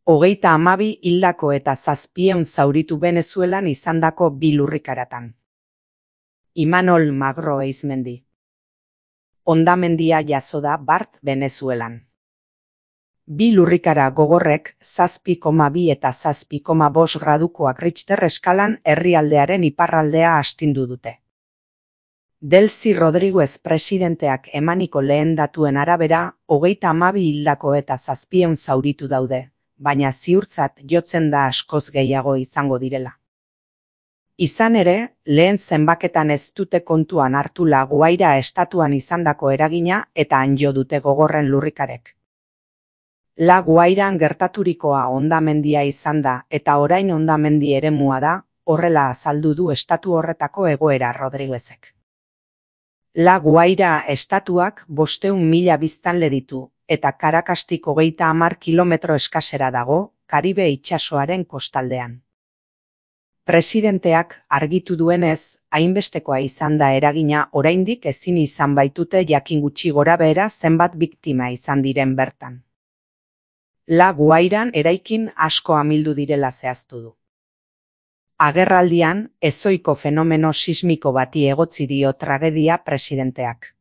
32 hildako eta 700 zauritu Venezuelan izandako 2 lurrikaratan. Imanol Magro Eizmendi. Hondamendia jazo da bart Venezuelan. 2 lurrikara gogorrek 7,2 eta 7,5 gradukoak Richter eskalan herrialdearen iparraldea astindu dute. Delcy Rodríguez presidenteak emaniko lehen datuen arabera, 32 hildako eta 700 zauritu daude, baina ziurtzat jotzen da askoz gehiago izango direla. Izan ere, lehen zenbaketan ez dute kontuan hartu La Guaira estatuan izandako eragina eta han jo dute gogorren lurrikarek. La Guairan gertaturikoa hondamendia izan da eta orain hondamendi eremua da, horrela azaldu du estatu horretako egoera Rodríguezek. La Guaira estatuak 500.000 biztanle ditu, eta Caracastik 30 kilometro eskasera dago, Karibe itsasoaren kostaldean. Presidenteak argitu duenez, hainbestekoa izan da eragina oraindik ezin izan baitute jakin gutxi gorabehera zenbat biktima izan diren bertan. La Guairan eraikin asko amildu direla zehaztu du. Agerraldian, ezohiko fenomeno sismiko bati egotzi dio tragedia presidenteak.